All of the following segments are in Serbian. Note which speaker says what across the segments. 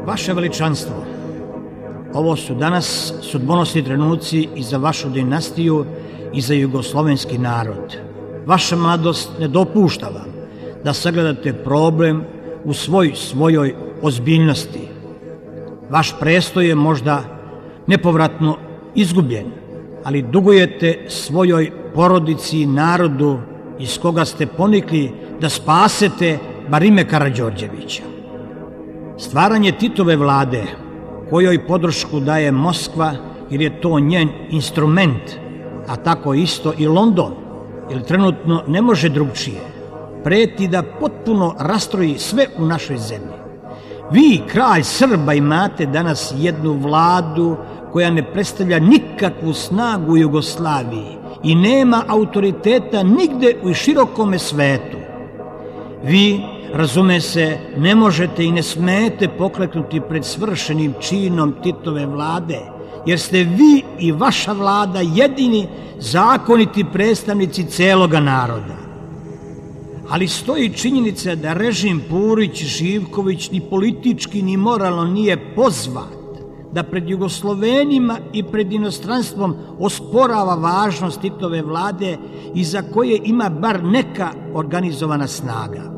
Speaker 1: Vaše veličanstvo, ovo su danas sudbonosni trenuci i za vašu dinastiju i za jugoslovenski narod. Vaša mladost ne dopušta vam da sagledate problem u svojoj ozbiljnosti. Vaš prestoj je možda nepovratno izgubljen, ali dugujete svojoj porodici i narodu iz koga ste ponikli da spasete bar ime Karađorđevića. Stvaranje Titove vlade, kojoj podršku daje Moskva jer je to njen instrument, a tako isto i London, jer trenutno ne može drugčije, preti da potpuno rastroji sve u našoj zemlji. Vi, kralj Srba, imate danas jednu vladu koja ne predstavlja nikakvu snagu u Jugoslaviji i nema autoriteta nigde u širokome svetu. Vi, razume se, ne možete i ne smete pokleknuti pred svršenim činom Titove vlade, jer ste vi i vaša vlada jedini zakoniti predstavnici celoga naroda. Ali stoji činjenica da režim Purić-Živković ni politički ni moralno nije pozvat da pred Jugoslovenima i pred inostranstvom osporava važnost Titove vlade i za koje ima bar neka organizovana snaga.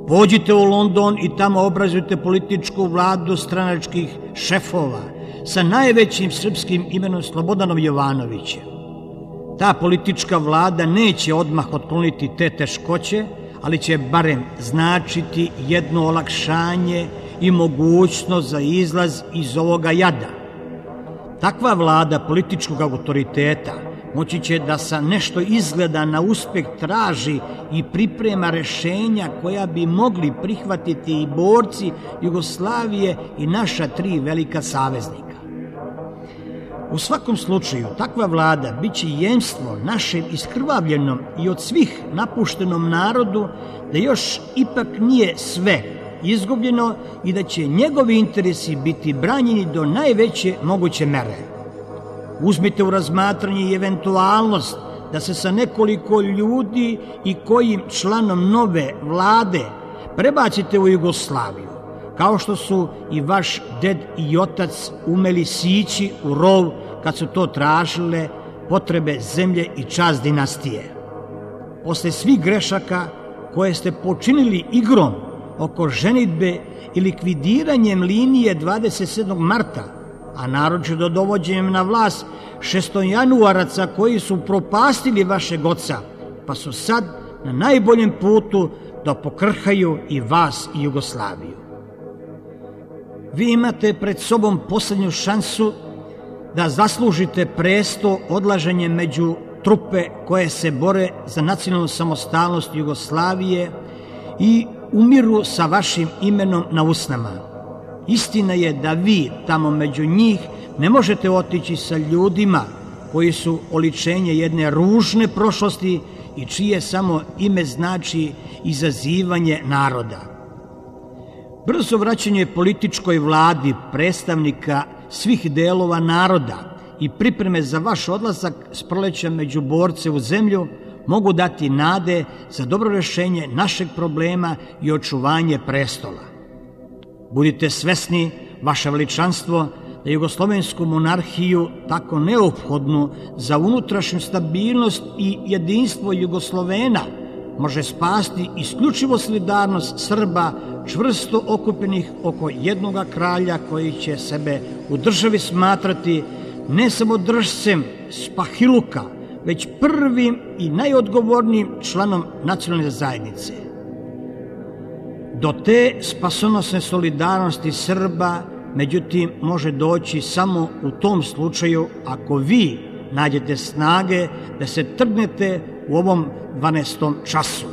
Speaker 1: Pođite u London i tamo obrazujte političku vladu stranačkih šefova sa najvećim srpskim imenom Slobodanom Jovanovićem. Ta politička vlada neće odmah otkloniti te teškoće, ali će barem značiti jedno olakšanje i mogućnost za izlaz iz ovoga jada. Takva vlada političkog autoriteta moći će da sa nešto izgleda na uspeh traži i priprema rešenja koja bi mogli prihvatiti i borci Jugoslavije i naša tri velika saveznika. U svakom slučaju, takva vlada biće jemstvo našem iskrvavljenom i od svih napuštenom narodu da još ipak nije sve izgubljeno i da će njegovi interesi biti branjeni do najveće moguće mere. Uzmite u razmatranje i eventualnost da se sa nekoliko ljudi i kojim članom nove vlade prebacite u Jugoslaviju, kao što su i vaš ded i otac umeli sići u rov kad su to tražile potrebe zemlje i čast dinastije. Posle svih grešaka koje ste počinili igrom oko ženidbe i likvidiranjem linije 27. marta, a naročito dovođenjem na vlast šestojanuaraca koji su propastili vašeg oca, pa su sad na najboljem putu da pokrhaju i vas i Jugoslaviju. Vi imate pred sobom poslednju šansu da zaslužite presto odlaženje među trupe koje se bore za nacionalnu samostalnost Jugoslavije i umiru sa vašim imenom na usnama. Istina je da vi tamo među njih ne možete otići sa ljudima koji su oličenje jedne ružne prošlosti i čije samo ime znači izazivanje naroda. Brzo vraćanje političkoj vladi predstavnika svih delova naroda i pripreme za vaš odlazak s proleća među borce u zemlju mogu dati nade za dobro rešenje našeg problema i očuvanje prestola. Budite svesni, vaše veličanstvo, da jugoslovensku monarhiju, tako neophodnu za unutrašnju stabilnost i jedinstvo Jugoslovena, može spasti isključivo solidarnost Srba čvrsto okupljenih oko jednoga kralja koji će sebe u državi smatrati ne samo držcem spahiluka, već prvim i najodgovornijim članom nacionalne zajednice. Do te spasonosne solidarnosti Srba, međutim, može doći samo u tom slučaju ako vi nađete snage da se trgnete u ovom 12. času,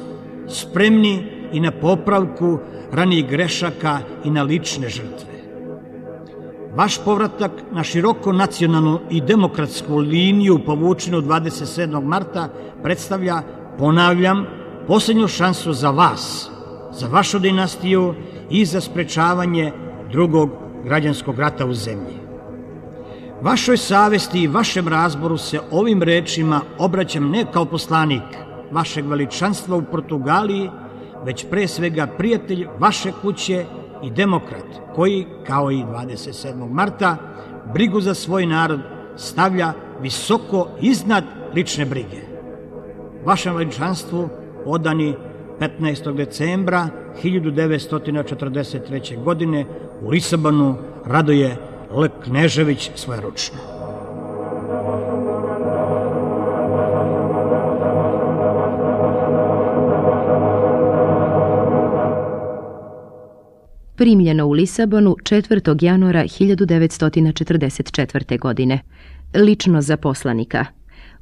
Speaker 1: spremni i na popravku ranijih grešaka i na lične žrtve. Vaš povratak na široko nacionalnu i demokratsku liniju povučenu 27. marta predstavlja, ponavljam, poslednju šansu za vas, za vašu dinastiju i za sprečavanje drugog građanskog rata u zemlji. Vašoj savesti i vašem razboru se ovim rečima obraćam ne kao poslanik, vašeg veličanstva u Portugaliji, već pre svega prijatelj vaše kuće i demokrat koji, kao i 27. marta, brigu za svoj narod stavlja visoko iznad lične brige. Vašem veličanstvu odani 15. decembra 1943. godine u Lisabonu Radoje L. Knežević svojeručno.
Speaker 2: Primljeno u Lisabonu 4. januara 1944. godine. Lično za poslanika.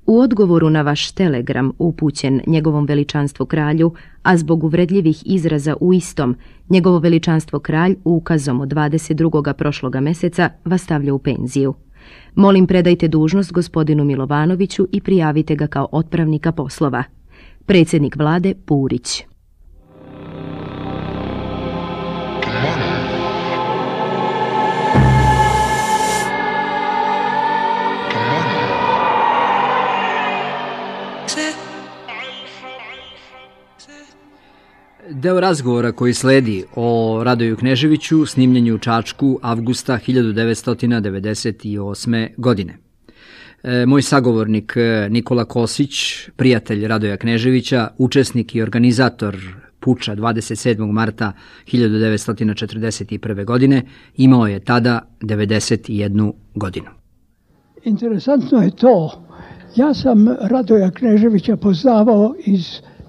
Speaker 2: U odgovoru na vaš telegram upućen njegovom veličanstvu kralju, a zbog uvredljivih izraza u istom, njegovo veličanstvo kralj ukazom od 22. prošloga meseca vas stavlja u penziju. Molim, predajte dužnost gospodinu Milovanoviću i prijavite ga kao otpravnika poslova. Predsjednik vlade Purić.
Speaker 3: Deo razgovora koji sledi o Radoju Kneževiću snimljen je u Čačku avgusta 1998. godine. Moj sagovornik Nikola Kosić, prijatelj Radoja Kneževića, učesnik i organizator puča 27. marta 1941. godine, imao je tada 91 godinu.
Speaker 4: Interesantno je to. Ja sam Radoja Kneževića poznavao iz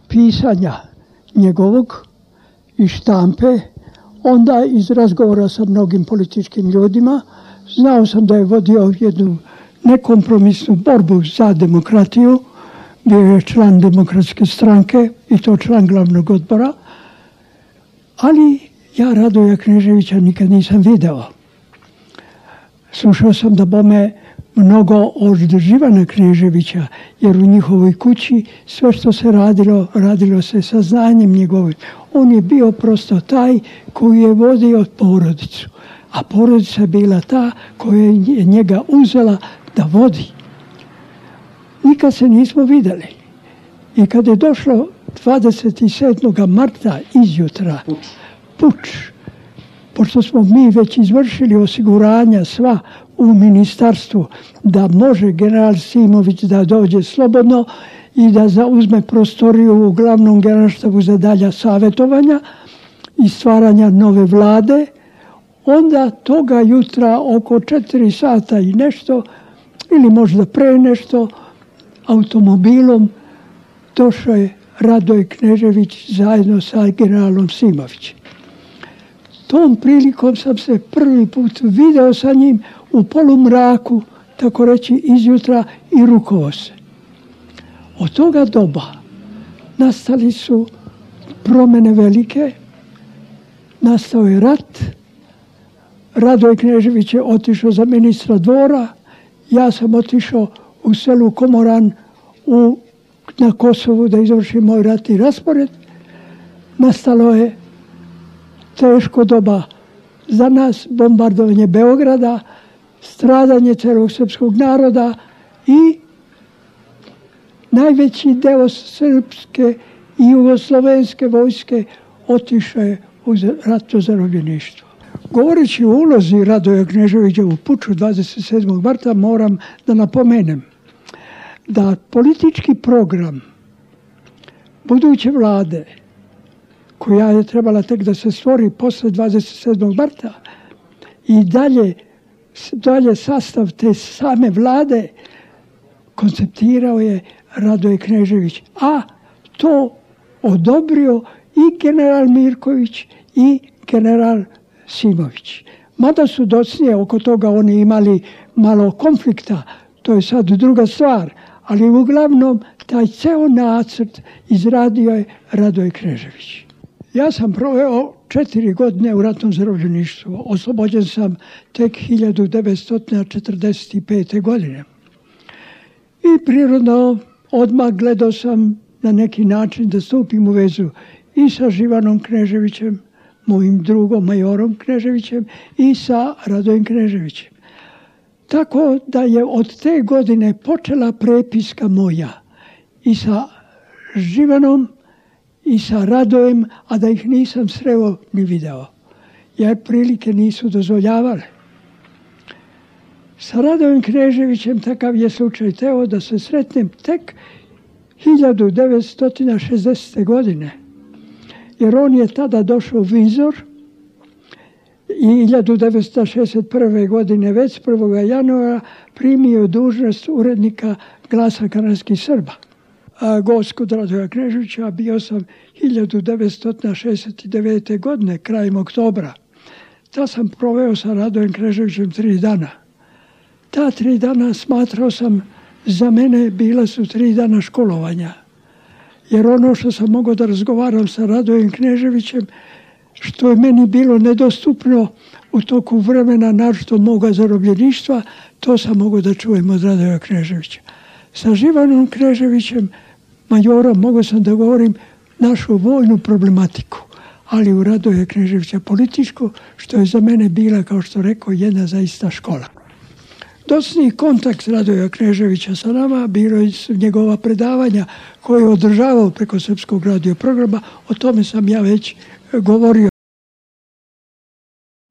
Speaker 4: pisanja njegovog i štampe, onda iz razgovora sa mnogim političkim ljudima. Znao sam da je vodio jednu nekompromisnu borbu za demokratiju, bio je član Demokratske stranke i to član glavnog odbora, ali ja Radoja Kneževića nikad nisam video. Slušao sam da bome mnogo od Živana Kneževića, jer u njihovoj kući sve što se radilo se sa znanjem njegovim. On je bio prosto taj koji je vodio porodicu, a porodica je bila ta koja je njega uzela da vodi. Nikad se nismo videli. I kad je došlo 27. marta izjutra, puč, pošto smo mi već izvršili osiguranja sva u ministarstvu da može general Simović da dođe slobodno i da zauzme prostoriju u glavnom generalštabu za dalja savjetovanja i stvaranja nove vlade, onda toga jutra oko 4 sata i nešto, ili možda pre nešto, automobilom došao je Radoj Knežević zajedno sa generalom Simovićem. Tom prilikom sam se prvi put video sa njim u polumraku, tako reći izjutra, i rukovao se. Od toga doba nastali su promjene velike, nastao je rat, Radoj Knežević je otišao za ministra dvora, ja sam otišao u selu Komoran na Kosovu da izvršim moj ratni raspored. Nastalo je teško doba za nas, bombardovanje Beograda, stradanje celog srpskog naroda i najveći deo srpske i jugoslovenske vojske otišao je u ratno zarobljeništvo. Govoreći o ulozi Radoja Kneževića u puču 27. marta moram da napomenem da politički program buduće vlade, koja je trebala tek da se stvori posle 27. marta, i dalje sastav te same vlade konceptirao je Radoj Knežević, a to odobrio i general Mirković i general Simović. Mada su docnije oko toga oni imali malo konflikta, to je sad druga stvar, ali uglavnom taj ceo nacrt izradio je Radoj Knežević. Ja sam proveo 4 godine u ratnom zarobljeništvu. Oslobođen sam tek 1945. godine. I prirodno odmah gledao sam na neki način da stupim u vezu i sa Živanom Kneževićem, mojim drugom majorom Kneževićem, i sa Radojem Kneževićem. Tako da je od te godine počela prepiska moja i sa Živanom i sa Radojem, a da ih nisam sreo ni video, jer prilike nisu dozvoljavale. Sa Radojem Kneževićem takav je slučaj teo da se sretnem tek 1960. godine, jer on je tada došao u Vinzor i 1961. godine već 1. januara primio dužnost urednika Glasa kanadskih Srba. Gost kod Radoja Kneževića bio sam 1969. godine, krajem oktobra. Ta sam proveo sa Radojem Kneževićem 3 dana. Ta 3 dana smatrao sam, za mene bila su 3 dana školovanja. Jer ono što sam mogao da razgovaram sa Radojem Kneževićem, što je meni bilo nedostupno u toku vremena, naročito moga zarobljeništva, to sam mogao da čujem od Radoja Kneževića. Sa Živanom Kneževićem, majorom, mogao sam da govorim našu vojnu problematiku, ali u Radoja Kneževića političku, što je za mene bila, kao što rekao, jedna zaista škola. Docniji kontakt Radoja Kneževića sa nama bilo su njegova predavanja koje je održavao preko Srpskog radio programa, o tome sam ja već govorio.